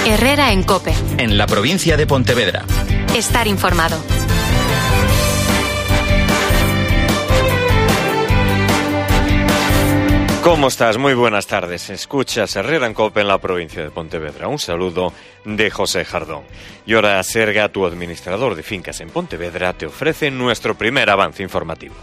Herrera en COPE. En la provincia de Pontevedra. Estar informado. ¿Cómo estás? Muy buenas tardes. Escuchas Herrera en COPE en la provincia de Pontevedra. Un saludo de José Jardón. Y ahora Serga, tu administrador de fincas en Pontevedra, te ofrece nuestro primer avance informativo.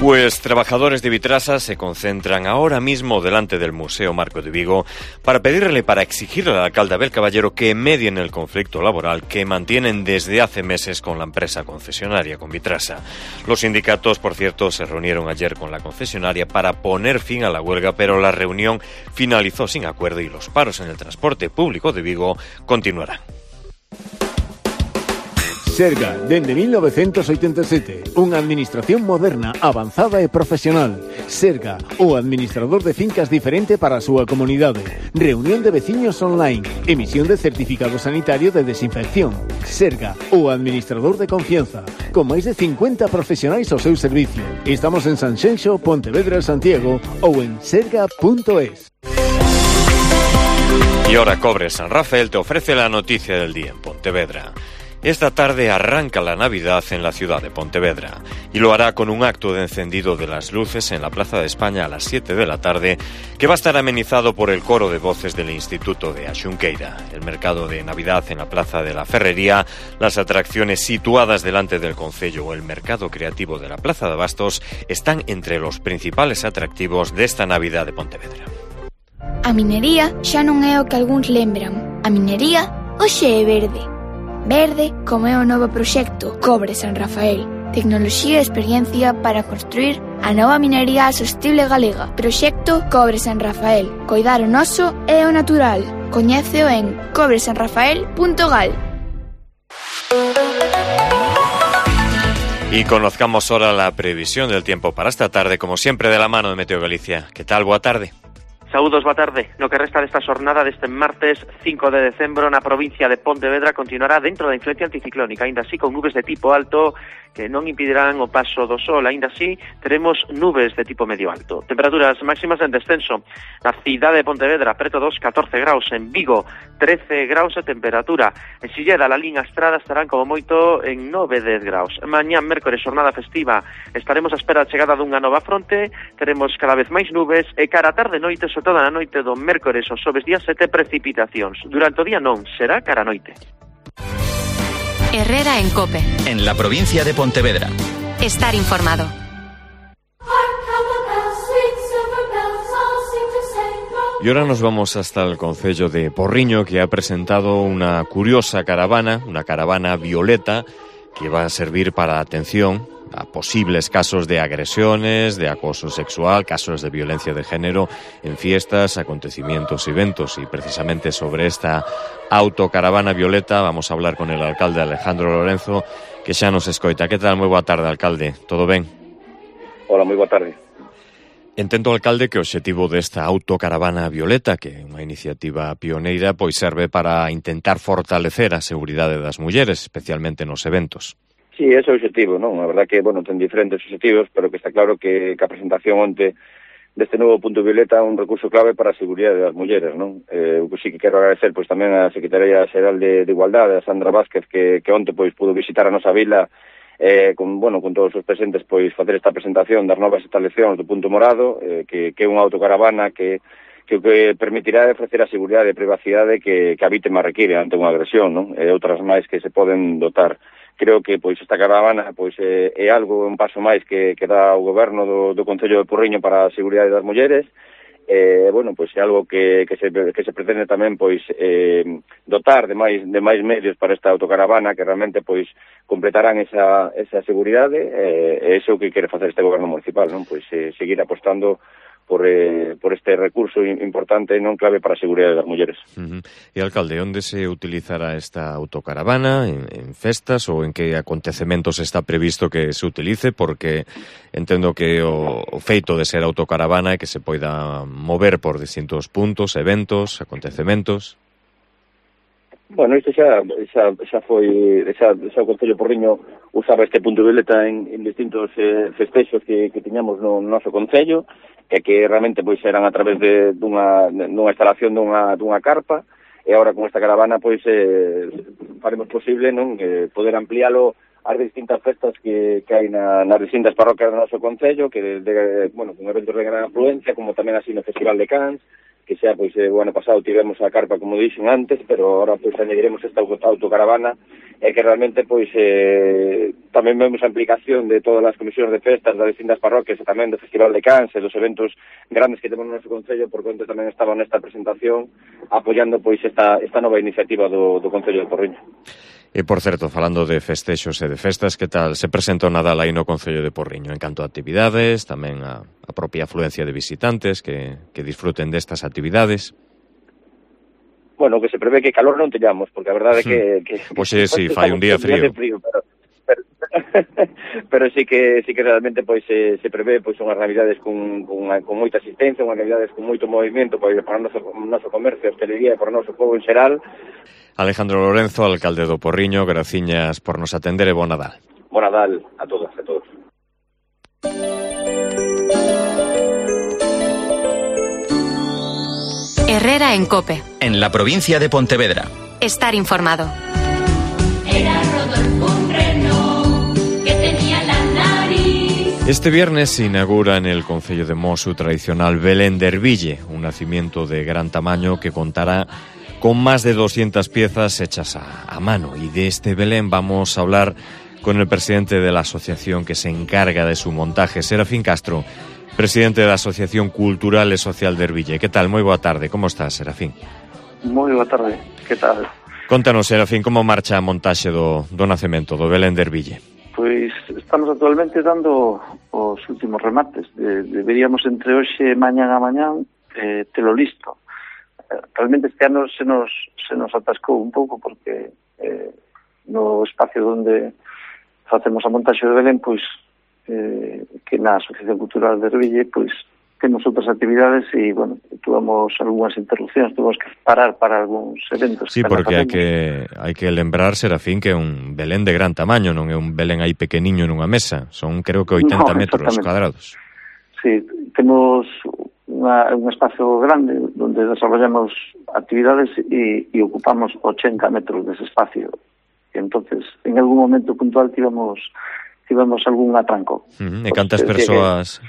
Pues trabajadores de Vitrasa se concentran ahora mismo delante del Museo Marco de Vigo para exigirle al alcalde Abel Caballero que medie en el conflicto laboral que mantienen desde hace meses con la empresa concesionaria, con Vitrasa. Los sindicatos, por cierto, se reunieron ayer con la concesionaria para poner fin a la huelga, pero la reunión finalizó sin acuerdo y los paros en el transporte público de Vigo continuarán. Serga, dende 1987, unha administración moderna, avanzada e profesional. Serga, o administrador de fincas diferente para a súa comunidade. Reunión de veciños online, emisión de certificado sanitario de desinfección. Serga, o administrador de confianza, con máis de 50 profesionais ao seu servicio. Estamos en Sanxenxo, Pontevedra, Santiago ou en serga.es. Y ahora Cobre San Rafael te ofrece la noticia del día en Pontevedra. Esta tarde arranca la Navidad en la ciudad de Pontevedra y lo hará con un acto de encendido de las luces en la Plaza de España a las 7 de la tarde, que va a estar amenizado por el coro de voces del Instituto de Axunqueira. El mercado de Navidad en la Plaza de la Ferrería, las atracciones situadas delante del concello o el mercado creativo de la Plaza de Abastos están entre los principales atractivos desta Navidad de Pontevedra. A minería xa non é o que algúns lembran. A minería hoxe é verde. Verde como é o novo proxecto Cobre San Rafael. Tecnoloxía e experiencia para construir a nova minería sostible galega. Proxecto Cobre San Rafael. Coidar o noso e o natural. Coñéceo en cobresanrafael.gal. Y conozcamos ahora la previsión del tiempo para esta tarde, como siempre de la mano de Meteo Galicia. ¿Qué tal? Boa tarde. Saúdos, boa tarde. No que resta desta xornada deste martes 5 de decembro na provincia de Pontevedra continuará dentro da influencia anticiclónica, aínda así con nubes de tipo alto que non impedirán o paso do sol. Aínda así teremos nubes de tipo medio alto. Temperaturas máximas en descenso. Na cidade de Pontevedra, preto dos 14 graus. En Vigo, 13 graus de temperatura. En Silleda, la Lín, a Estrada estarán como moito en 9-10 graus. Mañá, mércores, xornada festiva, estaremos á espera da chegada dunha nova fronte. Teremos cada vez máis nubes e cara a tarde noite, sobre todo na noite do mércores ou xoves día 7, precipitacións. Durante o día non, será cara a noite. Herrera en COPE. En la provincia de Pontevedra. Estar informado. Y ahora nos vamos hasta el concello de Porriño, que ha presentado una curiosa caravana, una caravana violeta, que va a servir para atención a posibles casos de agresiones, de acoso sexual, casos de violencia de género en fiestas, acontecimientos y eventos. Y precisamente sobre esta autocaravana violeta vamos a hablar con el alcalde Alejandro Lorenzo, que xa nos escoita. Que tal? Moi boa tarde, alcalde. Todo ben? Hola, moi boa tarde. Entendo, alcalde, que o obxectivo desta autocaravana violeta, que é unha iniciativa pioneira, pois serve para intentar fortalecer a seguridade das mulleres, especialmente nos eventos. Sí, ese é o objetivo, non? A verdad que, bueno, ten diferentes objetivos, pero que está claro que a presentación onte deste novo punto violeta é un recurso clave para a seguridade das mulleres, non? Eu sí que quero agradecer pois tamén a Secretaría Xeral de Igualdade, a Sandra Vázquez, que onte pois pudo visitar a nosa vila con todos os presentes pois facer esta presentación das novas instalacións do punto morado, que é unha autocaravana que permitirá ofrecer a seguridade e privacidade que a vítima require ante unha agresión, non? E outras máis que se poden dotar. Creo que pois esta caravana pois é algo, un paso máis que dá o goberno do Concello de Porriño para a seguridade das mulleres. Bueno, pois é algo que se pretende tamén pois dotar de máis medios para esta autocaravana que realmente pois completarán esa seguridade, e iso que quere facer este goberno municipal, non? Pois seguir apostando por este recurso importante non clave para a seguridade das mulleres. E, alcalde, onde se utilizará esta autocaravana? En festas ou en que acontecementos está previsto que se utilice? Porque entendo que o feito de ser autocaravana é que se poida mover por distintos puntos, eventos, acontecementos. Bueno, isto xa foi, xa o Concello Porriño usaba este punto violeta en distintos festexos que tiñamos no noso Concello, que realmente pois eran a través dunha instalación dunha carpa, e agora con esta caravana pois faremos posible poder ampliálo ás distintas festas que hai nas distintas parroquias do noso Concello, que con eventos de gran afluencia, como tamén así no Festival de Cans, que xa, pois, o ano pasado tivemos a carpa, como dixen antes, pero agora, pois, añadiremos esta autocaravana, e que realmente, pois, tamén vemos a implicación de todas as comisións de festas das distintas parroquias, e tamén do Festival de Cans, e dos eventos grandes que temos no noso Concello, por conta tamén estaba nesta presentación, apoiando, pois, esta nova iniciativa do Concello de Porriño. E, por certo, falando de festexos e de festas, que tal se presenta o Nadal aí no Concello de Porriño? En canto a actividades, tamén a propia afluencia de visitantes que disfruten destas actividades. Bueno, que se prevé que calor non teñamos, porque a verdade é que pois sí, fai un día frío. Pero sí que realmente pois se prevé pois unhas navidades con moita asistencia, unhas navidades con moito movimento para o noso comercio, hostelería e para o noso povo en xeral. Alejandro Lorenzo, alcalde do Porriño, graciñas por nos atender e bon Nadal. Bon Nadal a todas e a todos. Herrera en COPE. En la provincia de Pontevedra. Estar informado. Era Rodolfo un reno que tenía la nariz. Este viernes se inaugura en el Concello de Mos su tradicional Belén de Erville, un nacimiento de gran tamaño que contará con más de 200 piezas hechas a mano. Y de este Belén vamos a hablar con el presidente de la asociación que se encarga de su montaje, Serafín Castro, presidente de la Asociación Cultural e Social de Erville. ¿Qué tal? Moi boa tarde. Como estás, Serafín? Moi boa tarde. Que tal? Contanos, Serafín, como marcha a montaxe do nacemento, do Belén de Erville? Pois estamos actualmente dando os últimos remates. Deberíamos entre hoxe e mañán telo listo. Realmente este ano se nos atascou un pouco porque no espacio onde facemos a montaxe de Belén, pois que na Asociación Cultural de Erville, pois temos outras actividades e, bueno, tuvamos algunhas interrupcións, tuvemos que parar para algúns eventos. Sí, porque hai que lembrar, Serafín, que é un Belén de gran tamaño, non é un Belén aí pequeniño nunha mesa, son creo que 80 metros cuadrados. Sí, temos un espacio grande donde desarrollamos actividades e ocupamos 80 metros dese espacio. E entonces, en algún momento puntual tivemos algún atranco. E cantas persoas...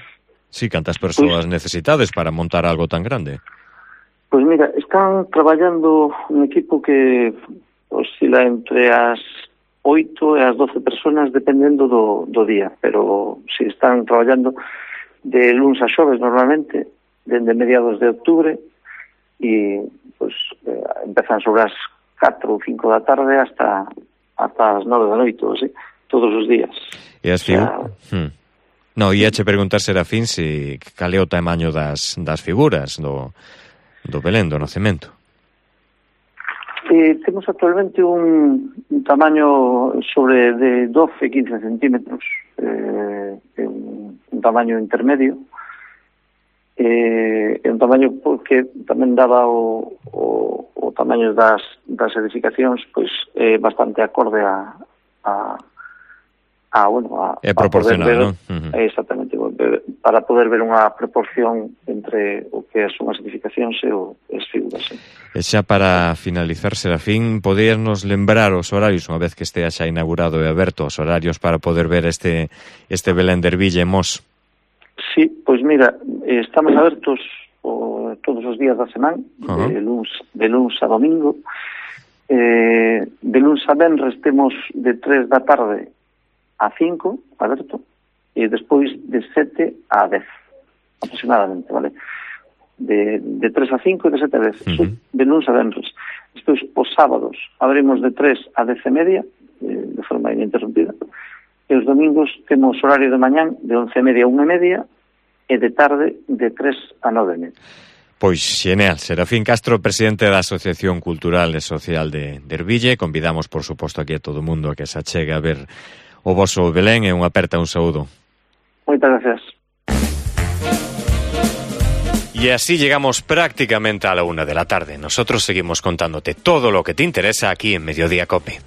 Sí, cantas persoas necesitades para montar algo tan grande? Pois mira, están traballando un equipo que oscila entre as 8 e as 12 personas dependendo do día, pero si están traballando de luns a xoves normalmente, dende mediados de outubro, e pues, empezan sobre as 4 ou 5 da tarde hasta as 9 da noite, así, todos os días. E as No, ia che preguntar, Serafín, cal é o tamaño das figuras do Belén, do nacemento. Temos actualmente un tamaño sobre de 12-15 centímetros, un tamaño intermedio, un tamaño que tamén daba o tamaño das edificacións, pois bastante acorde é proporcional, non? Exactamente, para poder ver unha proporción entre o que son as edificacións e as figuras. E xa para finalizar, Serafín, podíanos lembrar os horarios, unha vez que estea xa inaugurado e aberto, os horarios para poder ver este Belén de Erville en Mos? Sí, pois mira, estamos abertos todos os días da semana, de luns a domingo. De luns a venres temos de 3 da tarde a 5, aberto, e despois de 7 a 10, aproximadamente, vale? De 3 a 5 e de 7 a 10, de luns a venres. Despois, os sábados, abrimos de 3 a 10 e media, de forma ininterrumpida, e os domingos temos horario de mañán de 11 e media a 1 e media, e de tarde de 3 a 9 e media. Pois xeneal, Serafín Castro, presidente da Asociación Cultural e Social de Erville. Convidamos, por suposto, aquí a todo o mundo a que se achegue a ver o voso Belén, e unha aperta, un saúdo. Moitas gracias. E Y así llegamos prácticamente a la 1 de la tarde. Nosotros seguimos contándote todo lo que te interesa aquí en Mediodía COPE.